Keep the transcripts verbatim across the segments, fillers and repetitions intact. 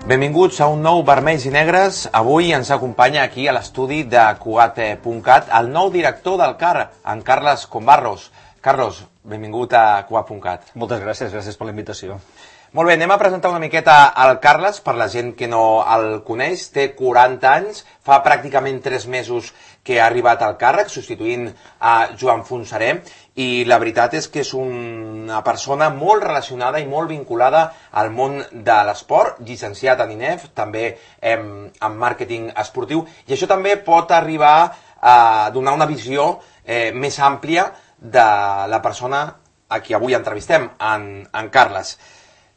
Benvinguts a un nou Vermells i Negres. Avui ens acompanya aquí a l'estudi de Cugat punt cat el nou director del C A R, en Carles Combarros. Carlos, benvingut a Cugat punt cat. Moltes gràcies, gràcies per la invitació. Molt bé, anem a presentar una miqueta al Carles, per la gent que no el coneix. Té quaranta anys, fa pràcticament tres mesos que ha arribat al càrrec, substituint a Joan Fontserè, i la veritat és que és una persona molt relacionada i molt vinculada al món de l'esport, llicenciat en I N E F, també en, en màrqueting esportiu, i això també pot arribar a donar una visió eh, més àmplia de la persona a qui avui entrevistem, en, en Carles.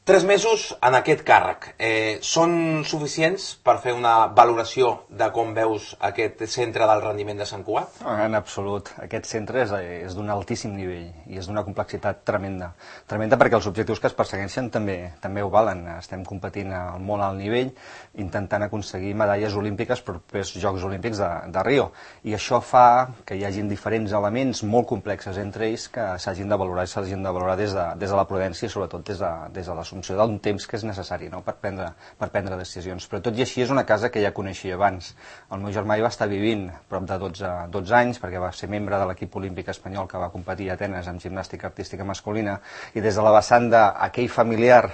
Tres mesos en aquest càrrec. Eh, són suficients per fer una valoració de com veus aquest centre del rendiment de Sant Cugat? En absolut. Aquest centre és, és d'un altíssim nivell i és d'una complexitat tremenda. Tremenda perquè els objectius que es persegueixen també, també ho valen. Estem competint al molt alt nivell, intentant aconseguir medalles olímpiques per als Jocs Olímpics de, de Rio. I això fa que hi hagin diferents elements molt complexes entre ells que s'hagin de valorar i s'hagin de valorar des de, des de la prudència i sobretot des de, des de l'assumpció d'un temps que és necessari, no? per, prendre, per prendre decisions. Però tot i així és una casa que ja coneixia abans. El meu germà hi va estar vivint prop de dotze, dotze anys perquè va ser membre de l'equip olímpic espanyol que va competir a Atenes amb gimnàstica artística masculina, i des de la vessant d'aquell familiar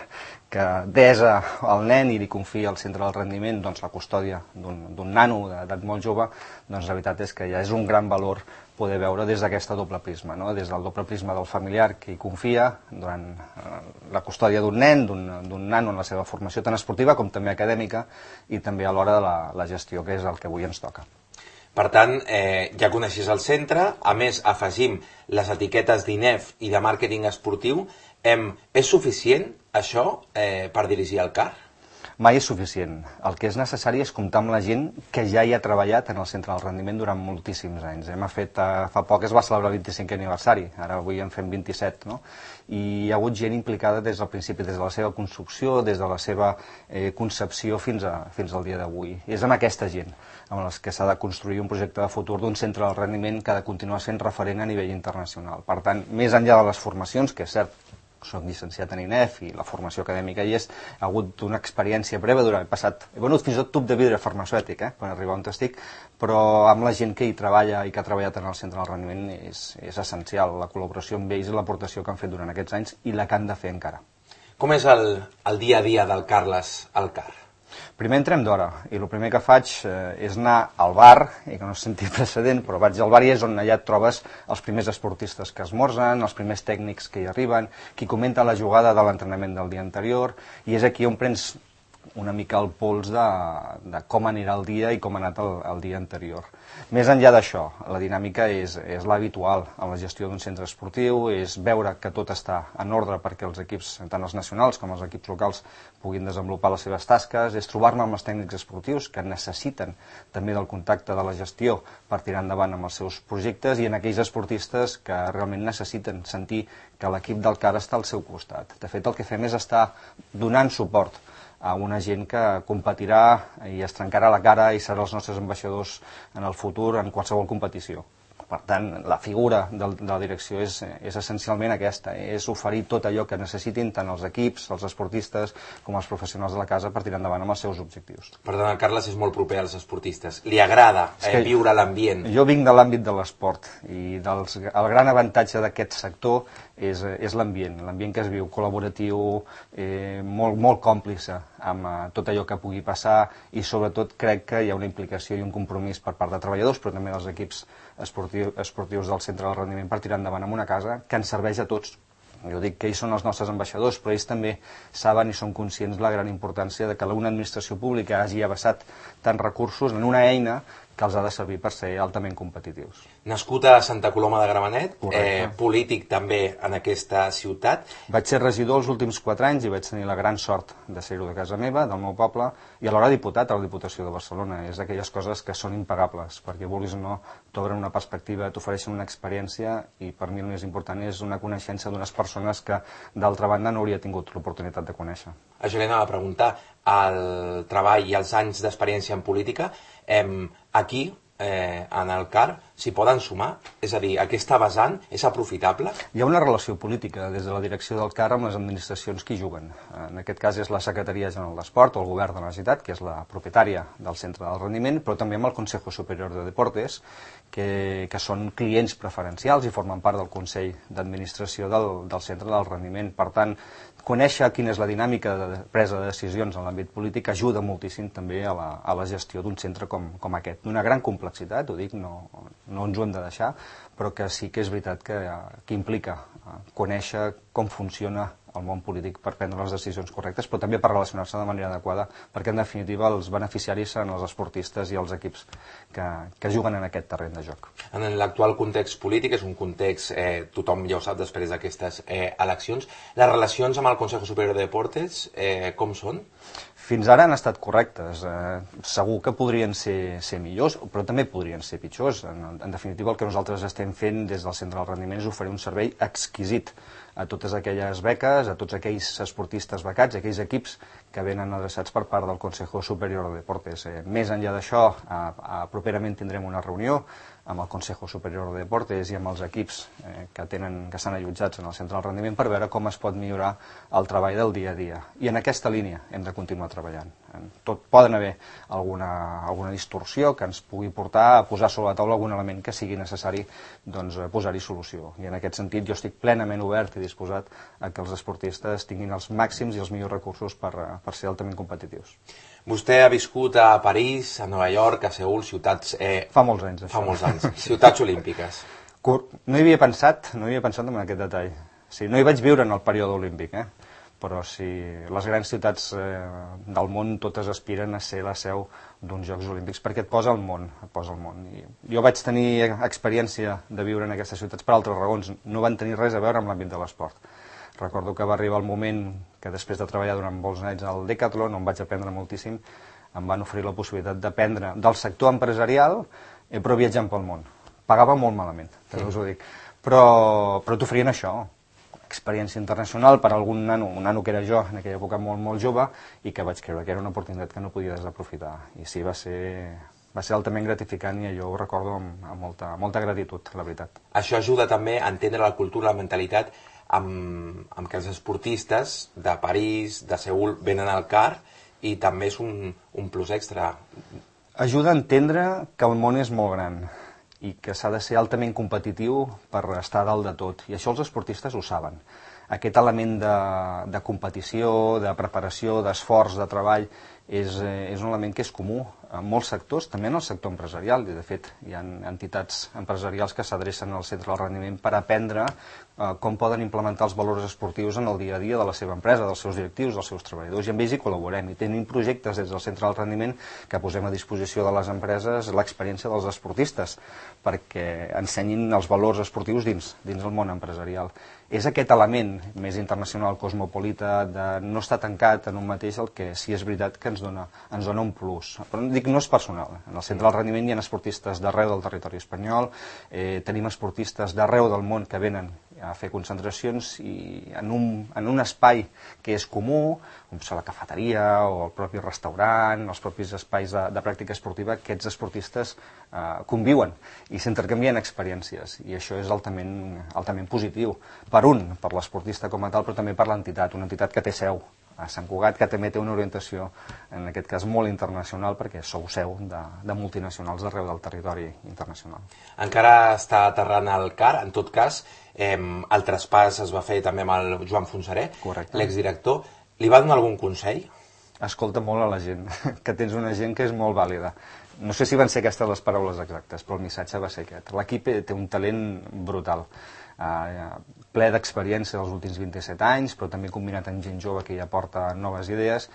que desa el nen i li confia al centre del rendiment doncs, la custòdia d'un nano d'edat molt jove, doncs la veritat és que ja és un gran valor poder veure des d'aquesta doble prisma, no? Des del doble prisma del familiar que hi confia durant la custòdia d'un nen, d'un nano en la seva formació tant esportiva com també acadèmica, i també a l'hora de la, la gestió, que és el que avui ens toca. Per tant, eh, ja coneixes el centre, a més afegim les etiquetes d'I N E F i de màrqueting esportiu. Eh, és suficient això eh, per dirigir el C A R? Mai és suficient. El que és necessari és comptar amb la gent que ja hi ha treballat en el centre del rendiment durant moltíssims anys. Hem fet, eh, fa poc es va celebrar el vint-i-cinquè aniversari, ara avui en fem vint-i-set, no? I hi ha hagut gent implicada des del principi, des de la seva construcció, des de la seva eh, concepció fins, a, fins al dia d'avui. És amb aquesta gent amb les que s'ha de construir un projecte de futur d'un centre del rendiment que ha de continuar sent referent a nivell internacional. Per tant, més enllà de les formacions, que és cert, soc llicenciat en I N E F i la formació acadèmica hi és, ha hagut una experiència breu durant el passat, he venut fins i tot tub de vidre farmacèutic eh, per arribar on estic, però amb la gent que hi treballa i que ha treballat en el centre del rendiment és, és essencial, la col·laboració amb ells i l'aportació que han fet durant aquests anys i la que han de fer encara. Com és el, el dia a dia del Carles al C A R? Primer entrem d'hora, i el primer que faig eh, és anar al bar, i que no se senti precedent, però vaig al bar i és on allà et trobes els primers esportistes que esmorzen, els primers tècnics que hi arriben, qui comenta la jugada de l'entrenament del dia anterior, i és aquí on prens una mica el pols de, de com anirà el dia i com ha anat el, el dia anterior. Més enllà d'això, la dinàmica és, és l'habitual en la gestió d'un centre esportiu, és veure que tot està en ordre perquè els equips, tant els nacionals com els equips locals, puguin desenvolupar les seves tasques, és trobar-me amb els tècnics esportius que necessiten també del contacte de la gestió per tirar endavant amb els seus projectes, i en aquells esportistes que realment necessiten sentir que l'equip del C A R està al seu costat. De fet, el que fem és estar donant suport a una gent que competirà i es trencarà la cara i serà els nostres ambaixadors en el futur en qualsevol competició. Per tant, la figura de la direcció és, és essencialment aquesta, és oferir tot allò que necessitin tant els equips, els esportistes, com els professionals de la casa per tirar endavant amb els seus objectius. Per tant, el Carles és molt proper als esportistes. Li agrada eh, viure l'ambient? Jo vinc de l'àmbit de l'esport i dels, el gran avantatge d'aquest sector és, és l'ambient, l'ambient que es viu col·laboratiu, eh, molt, molt còmplice amb eh, tot allò que pugui passar, i sobretot crec que hi ha una implicació i un compromís per part de treballadors, però també dels equips esportius, esportius del centre del rendiment per tirar endavant amb una casa que ens serveix a tots. Jo dic que ells són els nostres ambaixadors, però ells també saben i són conscients de la gran importància de que una administració pública hagi abassat tants recursos en una eina que els ha de servir per ser altament competitius. Nascut a Santa Coloma de Gramenet, eh, polític també en aquesta ciutat. Vaig ser regidor els últims quatre anys i vaig tenir la gran sort de ser-ho de casa meva, del meu poble, i alhora diputat a la Diputació de Barcelona. És d'aquelles coses que són impagables, perquè vulguis o no, t'obren una perspectiva, t'ofereixen una experiència, i per mi el més important és una coneixença d'unes persones que d'altra banda no hauria tingut l'oportunitat de conèixer. Això li anava a preguntar, el treball i els anys d'experiència en política, eh, aquí, eh, en el C A R, s'hi poden sumar? És a dir, aquesta vessant és aprofitable? Hi ha una relació política des de la direcció del C A R amb les administracions que hi juguen. En aquest cas és la Secretaria General d'Esport o el Govern de la Generalitat, que és la propietària del Centre del Rendiment, però també amb el Consejo Superior de Deportes, que, que són clients preferencials i formen part del Consell d'Administració del, del Centre del Rendiment. Per tant, conèixer quina és la dinàmica de presa de decisions en l'àmbit polític ajuda moltíssim també a la, a la gestió d'un centre com, com aquest. D'una gran complexitat, ho dic, no, no ens ho hem de deixar, però que sí que és veritat que, que implica conèixer com funciona el món polític per prendre les decisions correctes, però també per relacionar-se de manera adequada, perquè en definitiva els beneficiaris seran els esportistes i els equips que, que juguen en aquest terreny de joc. En l'actual context polític, és un context, eh, tothom ja ho sap després d'aquestes eh, eleccions, les relacions amb el Consejo Superior de Deportes eh, com són? Fins ara han estat correctes. Eh, segur que podrien ser, ser millors, però també podrien ser pitjors. En, en definitiva, el que nosaltres estem fent des del Centre del Rendiment és oferir un servei exquisit a totes aquelles beques, a tots aquells esportistes becats, aquells equips que venen adreçats per part del Consejo Superior de Deportes. Eh, més enllà d'això, eh, eh, properament tindrem una reunió amb el Consejo Superior de Deportes i amb els equips eh, que tenen que estan allotjats en el Centre del Rendiment per veure com es pot millorar el treball del dia a dia. I en aquesta línia hem de continuar treballant. Tot poden haver alguna, alguna distorsió que ens pugui portar a posar sobre la taula algun element que sigui necessari doncs, posar-hi solució. I en aquest sentit jo estic plenament obert i disposat a que els esportistes tinguin els màxims i els millors recursos per, per ser altament competitius. Vostè ha viscut a París, a Nova York, a Seül, ciutats... Eh, fa molts anys, això. Fa molts anys. Ciutats olímpiques. No hi havia pensat, no hi havia pensat en aquest detall. Sí, no hi vaig viure en el període olímpic, eh? Però sí, les grans ciutats eh, del món totes aspiren a ser la seu d'uns Jocs Olímpics perquè et posa al món, et posa al món. I jo vaig tenir experiència de viure en aquestes ciutats per altres raons, no van tenir res a veure amb l'àmbit de l'esport. Recordo que va arribar el moment que després de treballar durant molts anys al Decathlon, on vaig aprendre moltíssim, em van oferir la possibilitat d'aprendre del sector empresarial, eh, però viatjant pel món. Pagava molt malament, també us ho dic, però, però t'oferien això, experiència internacional per algun nano, un nano que era jo en aquella època molt, molt jove, i que vaig creure que era una oportunitat que no podia desaprofitar. I sí, va ser, va ser altament gratificant i jo ho recordo amb, amb molta, molta gratitud, la veritat. Això ajuda també a entendre la cultura, la mentalitat, amb, amb que els esportistes de París, de Seül, venen al C A R i també és un, un plus extra. Ajuda a entendre que el món és molt gran i que s'ha de ser altament competitiu per estar a dalt de tot. I això els esportistes ho saben. Aquest element de, de competició, de preparació, d'esforç, de treball, és, és un element que és comú en molts sectors, també en el sector empresarial. I de fet, hi ha entitats empresarials que s'adrecen al Centre del Rendiment per aprendre eh, com poden implementar els valors esportius en el dia a dia de la seva empresa, dels seus directius, dels seus treballadors. I amb ells hi col·laborem. I tenim projectes des del Centre del Rendiment que posem a disposició de les empreses l'experiència dels esportistes perquè ensenyin els valors esportius dins, dins el món empresarial. És aquest element més internacional, cosmopolita, de no estar tancat en un mateix el que sí és veritat que ens dona, ens dona un plus. Però dic, no és personal. En el Centre del Rendiment hi ha esportistes d'arreu del territori espanyol, eh, tenim esportistes d'arreu del món que venen a fer concentracions i en un, en un espai que és comú, com la cafeteria o el propi restaurant, els propis espais de, de pràctica esportiva, aquests esportistes eh, conviuen i s'intercanvien experiències i això és altament, altament positiu. Per un, per l'esportista com a tal, però també per l'entitat, una entitat que té seu a Sant Cugat, que també té una orientació, en aquest cas molt internacional, perquè sou seu de, de multinacionals d'arreu del territori internacional. Encara està aterrant al C A R, en tot cas, eh, el traspàs es va fer també amb el Joan Fonsaré, l'exdirector. Li va donar algun consell? Escolta molt a la gent, que tens una gent que és molt vàlida. No sé si van ser aquestes les paraules exactes, però el missatge va ser aquest. L'equip té un talent brutal. Uh, ple d'experiència dels últims vint-i-set anys, però també combinat amb gent jove que ja porta noves idees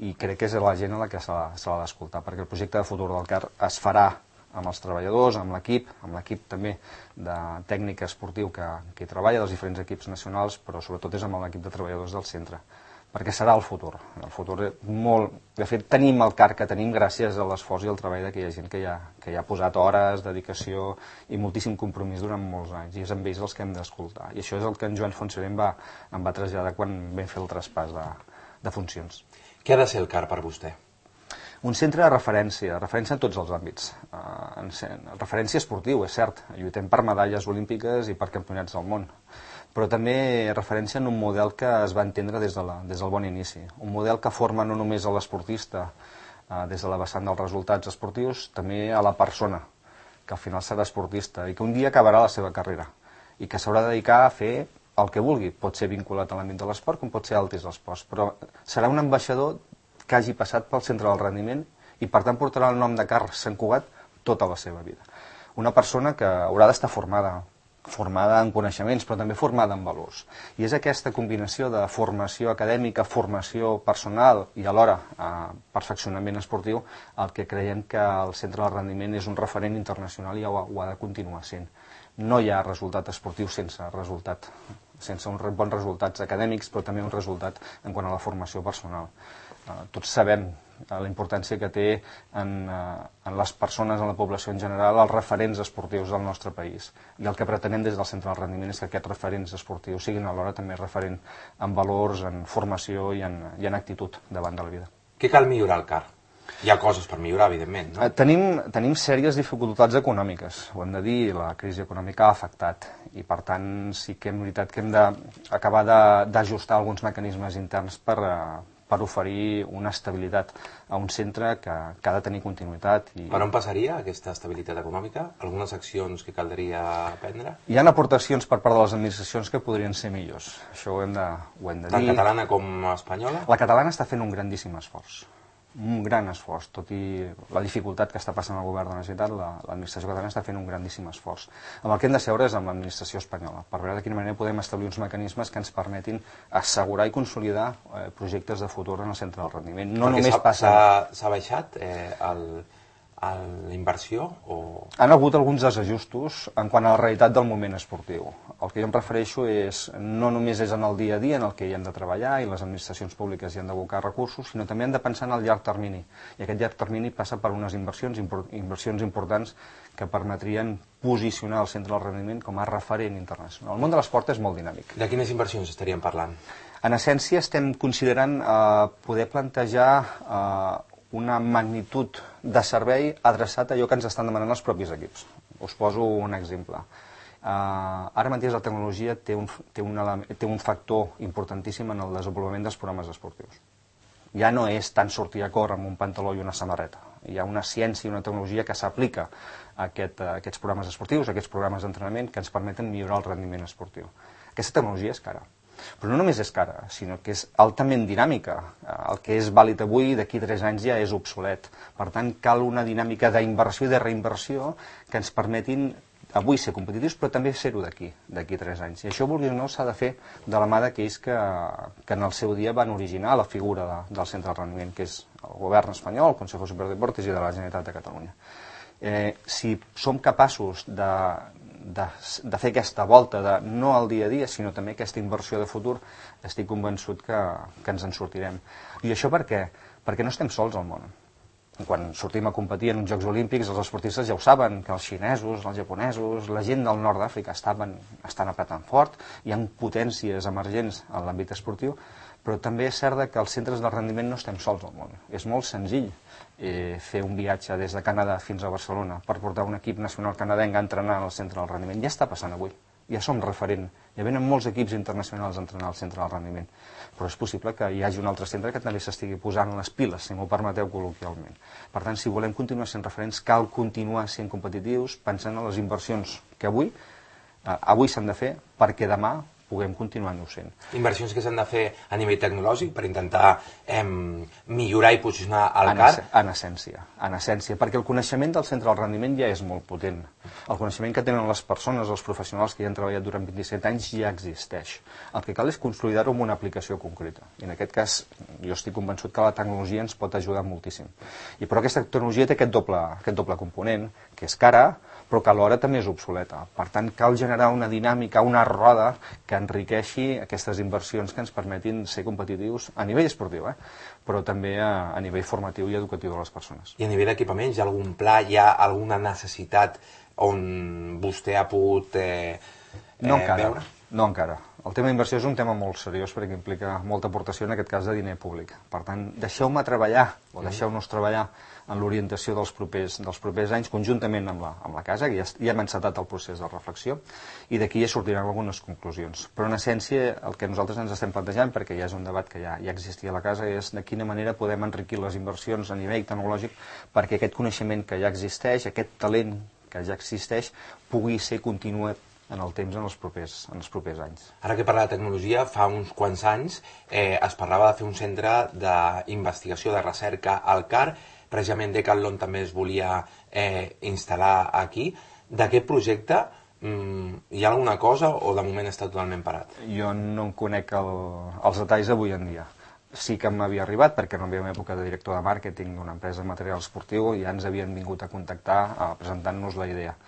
i crec que és la gent a la que se l'ha d'escoltar, perquè el projecte de futur del C A R es farà amb els treballadors, amb l'equip, amb l'equip també de tècnic esportiu que, que hi treballa, dels diferents equips nacionals, però sobretot és amb l'equip de treballadors del centre, perquè serà el futur. El futur molt... De fet, tenim el C A R que tenim gràcies a l'esforç i al treball d'aquella gent que hi, ha, que hi ha posat hores, dedicació i moltíssim compromís durant molts anys, i és amb ells els que hem d'escoltar. I això és el que en Joan Fonsaré em va, em va traslladar quan vam fer el traspàs de, de funcions. Què ha de ser el C A R per vostè? Un centre de referència, referència en tots els àmbits. Uh, referència esportiu, és cert, lluitem per medalles olímpiques i per campionats del món, però també referència en un model que es va entendre des, de la, des del bon inici. Un model que forma no només a l'esportista uh, des de la vessant dels resultats esportius, també a la persona, que al final serà esportista i que un dia acabarà la seva carrera i que s'haurà de dedicar a fer el que vulgui. Pot ser vinculat a l'àmbit de l'esport com pot ser altres esports, però serà un ambaixador que hagi passat pel centre del rendiment i per tant portarà el nom de Carles Sant Cugat tota la seva vida. Una persona que haurà d'estar formada, formada en coneixements, però també formada en valors. I és aquesta combinació de formació acadèmica, formació personal i alhora eh, perfeccionament esportiu el que creiem que el centre del rendiment és un referent internacional i ho ha, ho ha de continuar sent. No hi ha resultat esportiu sense resultat, sense uns bons resultats acadèmics, però també un resultat en quant a la formació personal. Uh, tots sabem uh, la importància que té en, uh, en les persones, en la població en general, els referents esportius del nostre país. I el que pretenem des del centre del rendiment és que aquests referents esportius siguin alhora també referent en valors, en formació i en, i en actitud davant de la vida. Què cal millorar al C A R? Hi ha coses per millorar, evidentment, no? Uh, tenim, tenim sèries dificultats econòmiques, ho hem de dir, la crisi econòmica ha afectat i per tant sí que és veritat que hem d'acabar d'ajustar alguns mecanismes interns per, uh, per oferir una estabilitat a un centre que, que ha de tenir continuïtat. I... Per on passaria aquesta estabilitat econòmica? Algunes accions que caldria prendre? Hi ha aportacions per part de les administracions que podrien ser millors. Això ho hem de, ho hem de dir. Tant catalana com espanyola? La catalana està fent un grandíssim esforç. Un gran esforç, tot i la dificultat que està passant el govern de la Generalitat, l'administració catalana està fent un grandíssim esforç. Amb el que hem de seure és amb l'administració espanyola, per veure de quina manera podem establir uns mecanismes que ens permetin assegurar i consolidar eh, projectes de futur en el centre del rendiment. No només passa... S'ha baixat eh, el, el, la inversió? O... Han hagut alguns desajustos en quant a la realitat del moment esportiu. El que jo em refereixo és, no només és en el dia a dia en el que hi hem de treballar i les administracions públiques hi han d'abocar recursos, sinó també hem de pensar en el llarg termini. I aquest llarg termini passa per unes inversions, inversions importants que permetrien posicionar el centre del rendiment com a referent internacional. El món de l'esport és molt dinàmic. De quines inversions estaríem parlant? En essència estem considerant eh, poder plantejar eh, una magnitud de servei adreçat a allò que ens estan demanant els propis equips. Us poso un exemple. Uh, ara mateix la tecnologia té un, té, un element, té un factor importantíssim en el desenvolupament dels programes esportius. Ja no és tant sortir a córrer amb un pantaló i una samarreta. Hi ha una ciència i una tecnologia que s'aplica a, aquest, a aquests programes esportius, a aquests programes d'entrenament que ens permeten millorar el rendiment esportiu. Aquesta tecnologia és cara. Però no només és cara, sinó que és altament dinàmica. El que és vàlid avui, d'aquí tres anys ja és obsolet. Per tant, cal una dinàmica d'inversió i de reinversió que ens permetin avui ser competitius, però també ser-ho d'aquí, d'aquí tres anys. I això, vulguis o no, s'ha de fer de la mà d'aquells que, que en el seu dia van originar la figura de, del centre del rendiment, que és el govern espanyol, el Consejo Superior de Deportes i de la Generalitat de Catalunya. Eh, si som capaços de, de, de fer aquesta volta, de, no al dia a dia, sinó també aquesta inversió de futur, estic convençut que, que ens en sortirem. I això per què? Perquè no estem sols al món. Quan sortim a competir en uns Jocs Olímpics, els esportistes ja ho saben, que els xinesos, els japonesos, la gent del nord d'Àfrica estaven, estan apretant fort, hi ha potències emergents en l'àmbit esportiu, però també és cert que els centres de rendiment no estem sols al món. És molt senzill eh, fer un viatge des de Canadà fins a Barcelona per portar un equip nacional canadenc a entrenar al centre del rendiment. Ja està passant avui. Ja som referent, ja venen molts equips internacionals a entrenar al centre del rendiment, però és possible que hi hagi un altre centre que també s'estigui posant les piles, si m'ho permeteu col·loquialment. Per tant, si volem continuar sent referents, cal continuar sent competitius, pensant en les inversions que avui, eh, avui s'han de fer perquè demà puguem continuar-ho sent. Inversions que s'han de fer a nivell tecnològic per intentar eh, millorar i posicionar el C A R? En essència, en essència, perquè el coneixement del centre del rendiment ja és molt potent. El coneixement que tenen les persones, els professionals que hi han treballat durant vint-i-set anys ja existeix. El que cal és consolidar-ho amb una aplicació concreta. I en aquest cas, jo estic convençut que la tecnologia ens pot ajudar moltíssim. I però aquesta tecnologia té aquest doble, aquest doble component, que és cara, però que alhora també és obsoleta. Per tant, cal generar una dinàmica, una roda que enriqueixi aquestes inversions que ens permetin ser competitius a nivell esportiu, eh? però també a, a nivell formatiu i educatiu de les persones. I a nivell d'equipaments, hi ha algun pla, hi ha alguna necessitat on vostè ha pogut eh, no eh, encara. veure? No encara. El tema d'inversió és un tema molt seriós perquè implica molta aportació, en aquest cas, de diner públic. Per tant, deixeu-me treballar, o deixeu-nos treballar en l'orientació dels propers, dels propers anys, conjuntament amb la, amb la casa, que ja, ja hem encetat el procés de reflexió, i d'aquí ja sortiran algunes conclusions. Però, en essència, el que nosaltres ens estem plantejant, perquè ja és un debat que ja, ja existia a la casa, és de quina manera podem enriquir les inversions a nivell tecnològic perquè aquest coneixement que ja existeix, aquest talent que ja existeix, pugui ser continuat en el temps, en els propers, en els propers anys. Ara que parla de tecnologia, fa uns quants anys eh, es parlava de fer un centre d'investigació, de recerca al C A R, precisament Decathlon també es volia eh, instal·lar aquí. D'aquest projecte mm, hi ha alguna cosa o de moment està totalment parat? Jo no en conec el, els detalls avui en dia. Sí que m'havia arribat, perquè en la meva època de director de màrqueting d'una empresa de material esportiu ja ens havien vingut a contactar a presentant-nos la idea.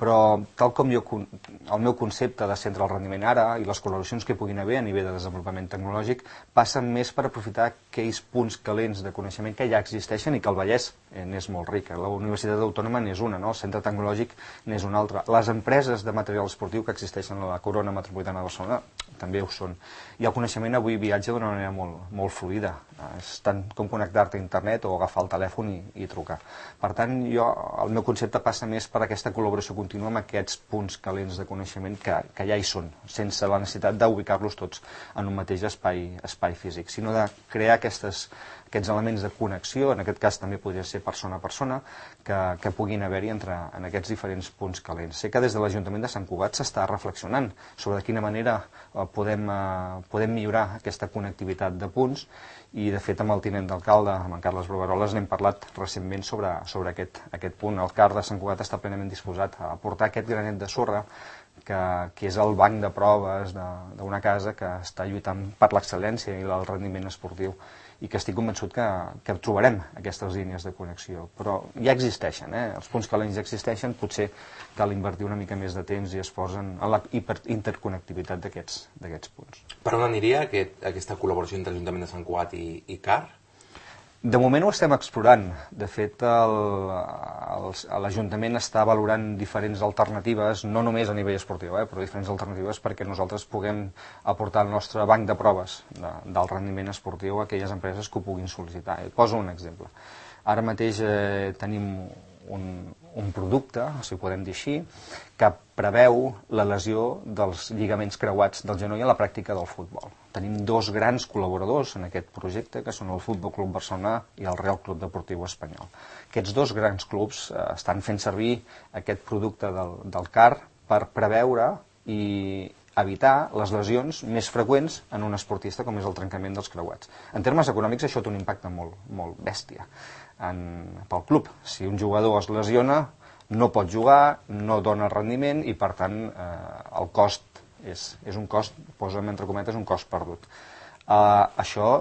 Però tal com jo, el meu concepte de centre del rendiment ara i les col·laboracions que puguin haver a nivell de desenvolupament tecnològic passen més per aprofitar aquells punts calents de coneixement que ja existeixen i que el Vallès n'és molt rica. La Universitat Autònoma n'és una, no? El centre tecnològic n'és una altra. Les empreses de material esportiu que existeixen a la corona metropolitana de Barcelona també ho són. I el coneixement avui viatja d'una manera molt, molt fluida. És tant com connectar-te a internet o agafar el telèfon i, i trucar. Per tant, jo, el meu concepte passa més per aquesta col·laboració contínua amb aquests punts calents de coneixement que, que ja hi són, sense la necessitat d'ubicar-los tots en un mateix espai, espai físic, sinó de crear aquestes, aquests elements de connexió, en aquest cas també podria ser persona a persona, que, que puguin haver-hi entre en aquests diferents punts calents. Sé que des de l'Ajuntament de Sant Cugat s'està reflexionant sobre de quina manera eh, podem, eh, podem millorar aquesta connectivitat de punts, i de fet amb el tinent d'alcalde, amb en Carles Brugueroles, n'hem parlat recentment sobre, sobre aquest, aquest punt. El C A R de Sant Cugat està plenament disposat a aportar aquest granet de sorra que, que és el banc de proves d'una casa que està lluitant per l'excel·lència i el rendiment esportiu, i que estic convençut que, que trobarem aquestes línies de connexió. Però ja existeixen, eh? Els punts calents ja existeixen, potser cal invertir una mica més de temps i esforç en la interconnectivitat d'aquests punts. Per on aniria aquest, aquesta col·laboració entre l'Ajuntament de Sant Cugat i, i C A R? De moment ho estem explorant. De fet, l'Ajuntament està valorant diferents alternatives, no només a nivell esportiu, eh, però diferents alternatives perquè nosaltres puguem aportar el nostre banc de proves de, del rendiment esportiu a aquelles empreses que ho puguin sol·licitar. Et poso un exemple. Ara mateix eh, tenim un, un producte, si ho podem dir així, que preveu la lesió dels lligaments creuats del genoll a la pràctica del futbol. Tenim dos grans col·laboradors en aquest projecte, que són el Futbol Club Barcelona i el Real Club Deportiu Espanyol. Aquests dos grans clubs eh, estan fent servir aquest producte del, del C A R per preveure i evitar les lesions més freqüents en un esportista com és el trencament dels creuats. En termes econòmics això té un impacte molt, molt bèstia en, pel club. Si un jugador es lesiona, no pot jugar, no dona rendiment i per tant eh, el cost és, és un cost, posa'm entre cometes, un cost perdut. Uh, això,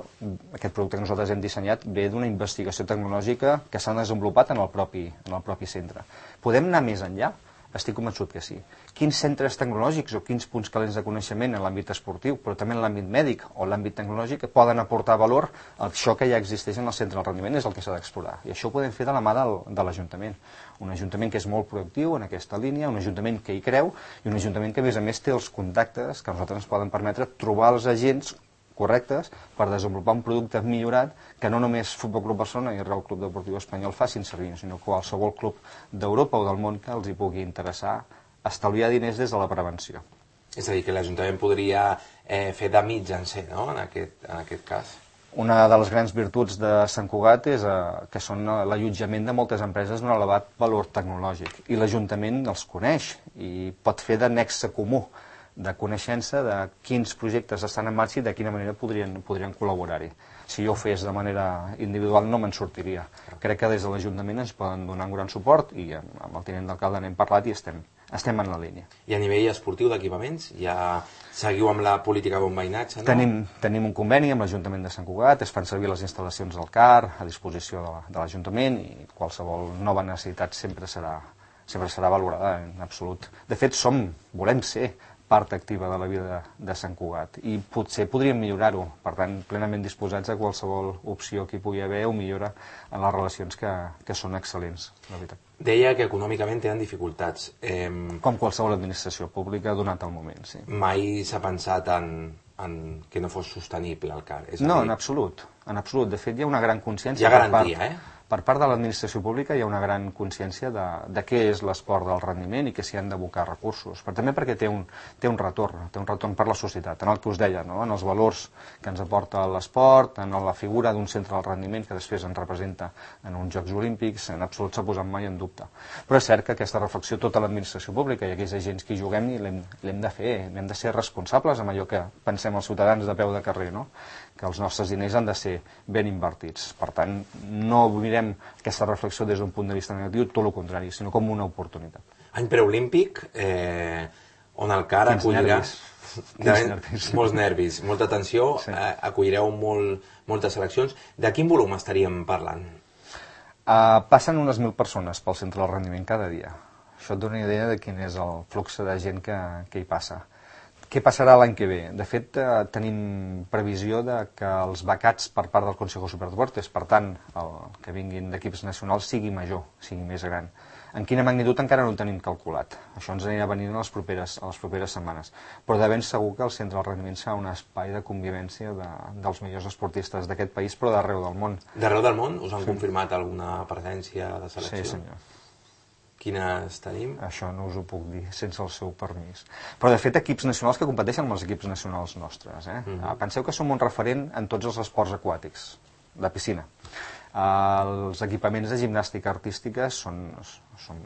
aquest producte que nosaltres hem dissenyat, ve d'una investigació tecnològica que s'ha desenvolupat en el propi, en el propi centre. Podem anar més enllà? Estic convençut que sí. Quins centres tecnològics o quins punts calents de coneixement en l'àmbit esportiu, però també en l'àmbit mèdic o l'àmbit tecnològic, poden aportar valor a això que ja existeix en el centre del rendiment, és el que s'ha d'explorar. I això ho podem fer de la mà del, de l'Ajuntament. Un Ajuntament que és molt proactiu en aquesta línia, un Ajuntament que hi creu i un Ajuntament que, a més a més, té els contactes que a nosaltres ens poden permetre trobar els agents correctes per desenvolupar un producte millorat que no només Futbol Club Barcelona i el Real Club Deportiu Espanyol facin servir, sinó qualsevol club d'Europa o del món que els hi pugui interessar estalviar diners des de la prevenció. És a dir, que l'Ajuntament podria eh, fer de mitjancer, no?, en aquest, en aquest cas. Una de les grans virtuts de Sant Cugat és eh, que són l'allotjament de moltes empreses d'un elevat valor tecnològic i l'Ajuntament els coneix i pot fer de nexe comú de coneixença de quins projectes estan en marxa i de quina manera podrien, podrien col·laborar-hi. Si jo ho fes de manera individual no me'n sortiria. Crec que des de l'Ajuntament ens poden donar un gran suport i amb el tinent d'alcalde n'hem parlat i estem, estem en la línia. I a nivell esportiu d'equipaments, ja seguiu amb la política de bon veïnatge, no? Tenim, tenim un conveni amb l'Ajuntament de Sant Cugat, es fan servir les instal·lacions del C A R a disposició de l'Ajuntament i qualsevol nova necessitat sempre serà, sempre serà valorada en absolut. De fet, som, volem ser part activa de la vida de Sant Cugat i potser podríem millorar-ho, per tant plenament disposats a qualsevol opció que hi pugui haver o millora en les relacions que, que són excel·lents, la veritat. Deia que econòmicament tenen dificultats. Eh, Com qualsevol administració pública donat el moment, sí. Mai s'ha pensat en, en que no fos sostenible el car. És no, dir... en absolut, en absolut. De fet, hi ha una gran consciència... Hi ha garantia, per part, eh? Per part de l'administració pública hi ha una gran consciència de, de què és l'esport del rendiment i que s'hi han d'abocar recursos, però també perquè té un, té un retorn, té un retorn per la societat, en el que us deia, no? En els valors que ens aporta l'esport, en la figura d'un centre del rendiment que després ens representa en uns Jocs Olímpics, en absolut s'ha posat mai en dubte. Però és cert que aquesta reflexió tota l'administració pública i aquells agents que hi juguem l'hem de fer, hem de ser responsables amb allò que pensem els ciutadans de peu de carrer, no? Que els nostres diners han de ser ben invertits. Per tant, no mirem aquesta reflexió des d'un punt de vista negatiu, tot el contrari, sinó com una oportunitat. Any preolímpic, eh, on el car acollirà... Quins nervis. Molts nervis, molta tensió, sí. eh, acollireu molt, moltes seleccions. De quin volum estaríem parlant? Uh, passen unes mil persones pel centre del rendiment cada dia. Això et dona una idea de quin és el flux de gent que, que hi passa. Què passarà l'any que ve? De fet, eh, tenim previsió de que els becats per part del Consejo Superior de Deportes, per tant, el que vinguin d'equips nacionals, sigui major, sigui més gran. En quina magnitud encara no ho tenim calculat. Això ens anirà venint a les properes, a les properes setmanes. Però de ben segur que el centre del rendiment serà un espai de convivència de, dels millors esportistes d'aquest país, però d'arreu del món. D'arreu del món? Us han sí. confirmat alguna presència de selecció? Sí, senyor. Quines tenim? Això no us ho puc dir sense el seu permís. Però, de fet, equips nacionals que competeixen amb els equips nacionals nostres. Eh? Mm -hmm. Penseu que som un referent en tots els esports aquàtics, de piscina. Els equipaments de gimnàstica artística són, són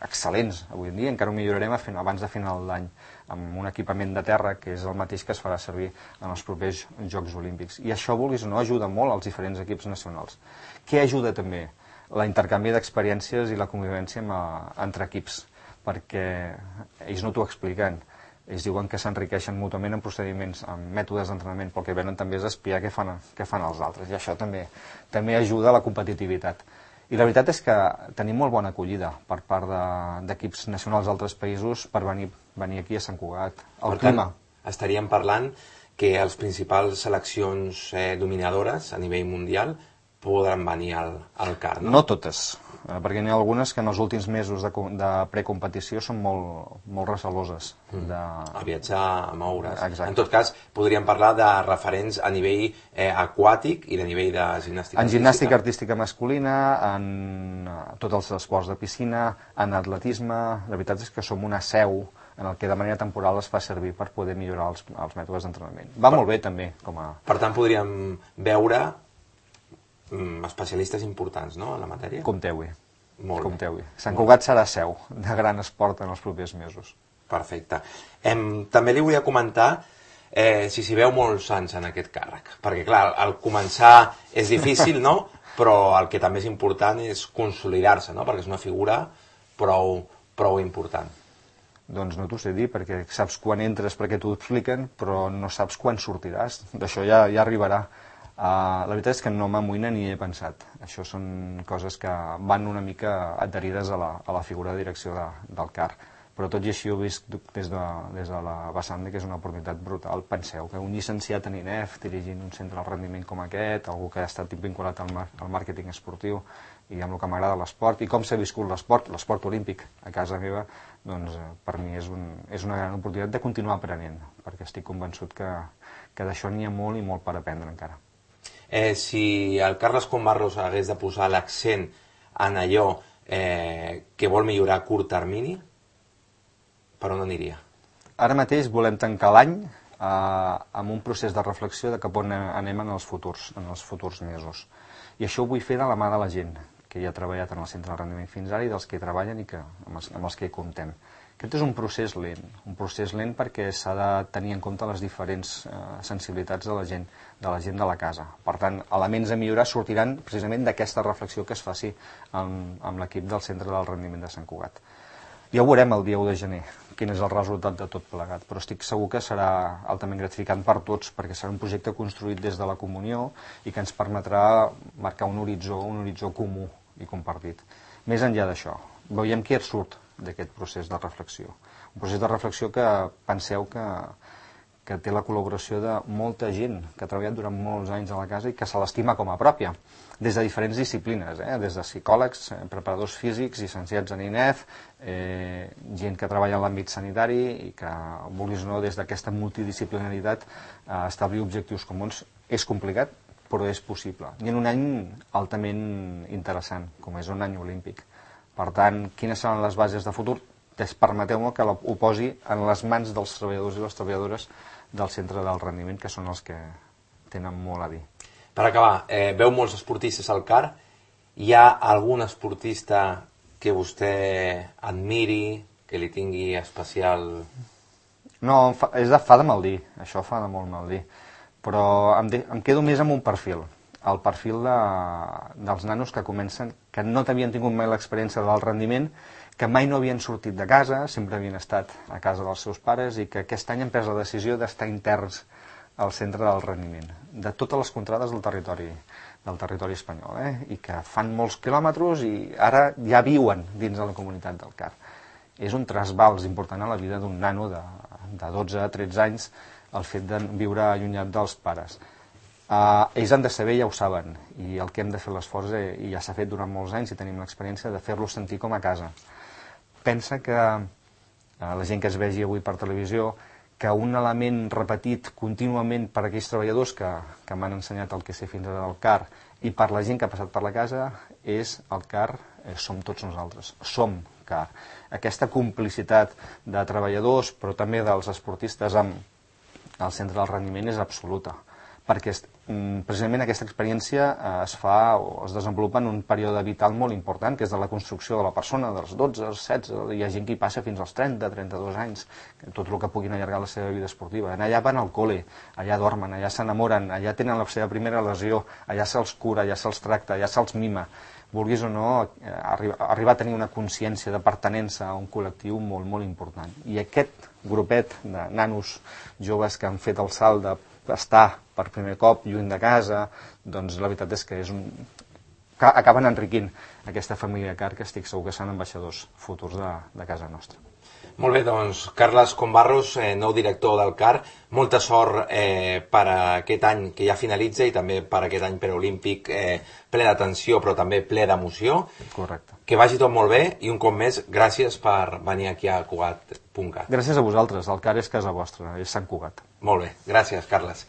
excel·lents avui en dia, encara ho millorarem abans de final d'any, amb un equipament de terra que és el mateix que es farà servir en els propers Jocs Olímpics. I això, vulguis o no, ajuda molt als diferents equips nacionals. Què ajuda també? L'intercanvi d'experiències i la convivència amb, entre equips, perquè ells no t'ho expliquen. Ells diuen que s'enriqueixen mútuament en procediments, en mètodes d'entrenament, però el que venen també és espiar què fan, què fan els altres, i això també, també ajuda a la competitivitat. I la veritat és que tenim molt bona acollida per part d'equips de, nacionals d'altres països per venir, venir aquí a Sant Cugat. El per clima. Tant, estaríem parlant que les principals seleccions eh, dominadores a nivell mundial podran venir al, al car, no? No totes, perquè n'hi ha algunes que en els últims mesos de, de precompetició són molt, molt receloses. Mm. De... A viatjar, a moure's. Exacte. En tot cas, podríem parlar de referents a nivell eh, aquàtic i de nivell de gimnàstica En gimnàstica artística masculina, en uh, tots els esports de piscina, en atletisme. La veritat és que som una seu en el que de manera temporal es fa servir per poder millorar els, els mètodes d'entrenament. Va per, molt bé també. Com a... Per tant, podríem veure especialistes importants, no?, en la matèria? Compteu-hi. Molt Compteu-hi. Sant Cugat serà seu de gran esport en els propers mesos. Perfecte. Em, també li volia comentar eh, si s'hi veu molts anys en aquest càrrec. Perquè, clar, al començar és difícil, no?, però el que també és important és consolidar-se, no?, perquè és una figura prou, prou important. Doncs no t'ho sé dir, perquè saps quan entres perquè t'ho expliquen, però no saps quan sortiràs. D'això ja, ja arribarà. Uh, la veritat és que no m'amoïna ni he pensat. Això són coses que van una mica adherides a la, a la figura de direcció de, del car. Però tot i així ho he vist des de, des de la vessant que és una oportunitat brutal. Penseu que un llicenciat en I N E F dirigint un centre de rendiment com aquest, algú que ha estat vinculat al, mar, al màrqueting esportiu i amb el que m'agrada l'esport, i com s'ha viscut l'esport, l'esport olímpic a casa meva, doncs per mi és, un, és una gran oportunitat de continuar aprenent, perquè estic convençut que, que d'això n'hi ha molt i molt per aprendre encara. Eh, si el Carles Combarros hagués de posar l'accent en allò eh, que vol millorar a curt termini, per on aniria? Ara mateix volem tancar l'any eh, amb un procés de reflexió de cap on anem en els futurs, en els futurs mesos. I això ho vull fer de la mà de la gent que hi ha treballat en el centre de rendiment fins ara i dels que hi treballen i que, amb, els, amb els que hi comptem. Aquest és un procés lent, un procés lent perquè s'ha de tenir en compte les diferents eh, sensibilitats de la gent, de la gent de la casa. Per tant, elements a millorar sortiran precisament d'aquesta reflexió que es faci amb, amb l'equip del centre del rendiment de Sant Cugat. Ja ho veurem el dia u de gener, quin és el resultat de tot plegat, però estic segur que serà altament gratificant per tots, perquè serà un projecte construït des de la comunió i que ens permetrà marcar un horitzó, un horitzó comú i compartit. Més enllà d'això, veiem què surt d'aquest procés de reflexió. Un procés de reflexió que penseu que, que té la col·laboració de molta gent que ha treballat durant molts anys a la casa i que se l'estima com a pròpia, des de diferents disciplines, eh? Des de psicòlegs, eh, preparadors físics, llicenciats en I N E F, eh, gent que treballa en l'àmbit sanitari i que, vulguis o no, des d'aquesta multidisciplinaritat eh, establir objectius comuns és complicat, però és possible. I en un any altament interessant, com és un any olímpic. Per tant, quines seran les bases de futur? Permeteu-me que ho posi en les mans dels treballadors i les treballadores del centre del rendiment, que són els que tenen molt a dir. Per acabar, eh, veu molts esportistes al C A R. Hi ha algun esportista que vostè admiri, que li tingui especial... No, fa, és de, fa de mal dir, això fa de molt mal dir, però em, de, em quedo més amb un perfil, el perfil de, dels nanos que comencen, que no havien tingut mai l'experiència del rendiment, que mai no havien sortit de casa, sempre havien estat a casa dels seus pares i que aquest any han pres la decisió d'estar interns al centre del rendiment, de totes les contrades del territori, del territori espanyol, eh? I que fan molts quilòmetres i ara ja viuen dins de la comunitat del C A R. És un trasbals important a la vida d'un nano de, de dotze a tretze anys el fet de viure allunyat dels pares. Uh, ells han de saber, ja ho saben, i el que hem de fer l'esforç, eh, i ja s'ha fet durant molts anys i tenim l'experiència de fer-los sentir com a casa. Pensa que uh, la gent que es vegi avui per televisió, que un element repetit contínuament per aquells treballadors que, que m'han ensenyat el que sé fins ara del C A R i per la gent que ha passat per la casa és el C A R, eh, som tots nosaltres, som C A R. Aquesta complicitat de treballadors però també dels esportistes amb el centre del rendiment és absoluta, perquè precisament aquesta experiència es fa o es desenvolupa en un període vital molt important, que és de la construcció de la persona, dels dotze, als setze, hi ha gent que hi passa fins als trenta, trenta-dos anys, tot el que puguin allargar la seva vida esportiva. Allà van al col·le, allà dormen, allà s'enamoren, allà tenen la seva primera lesió, allà se'ls cura, allà se'ls tracta, allà se'ls mima. Vulguis o no, arribar a tenir una consciència de pertinença a un col·lectiu molt, molt important. I aquest grupet de nanos joves que han fet el salt de estar per primer cop lluny de casa, doncs la veritat és que és un... acaben enriquint aquesta família C A R, que estic segur que seran ambaixadors futurs de, de casa nostra. Molt bé, doncs, Carles Combarros, eh, nou director del C A R, molta sort eh, per aquest any que ja finalitza i també per aquest any preolímpic eh, ple d'atenció però també ple d'emoció. Correcte. Que vagi tot molt bé i un cop més, gràcies per venir aquí a Cugat punt cat. Gràcies a vosaltres, el C A R és casa vostra, és Sant Cugat. Molt bé, gràcies, Carles.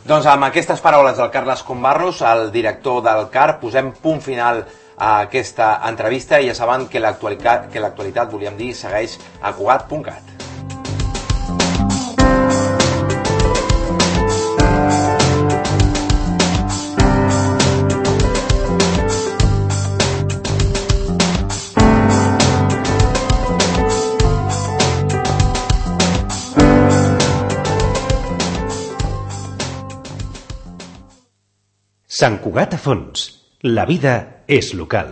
Doncs amb aquestes paraules del Carles Combarros, el director del C A R, posem punt final a aquesta entrevista i ja saben que l'actualitat, que l'actualitat, volíem dir, segueix a Cugat punt cat. Sant Cugat a fons. La vida és local.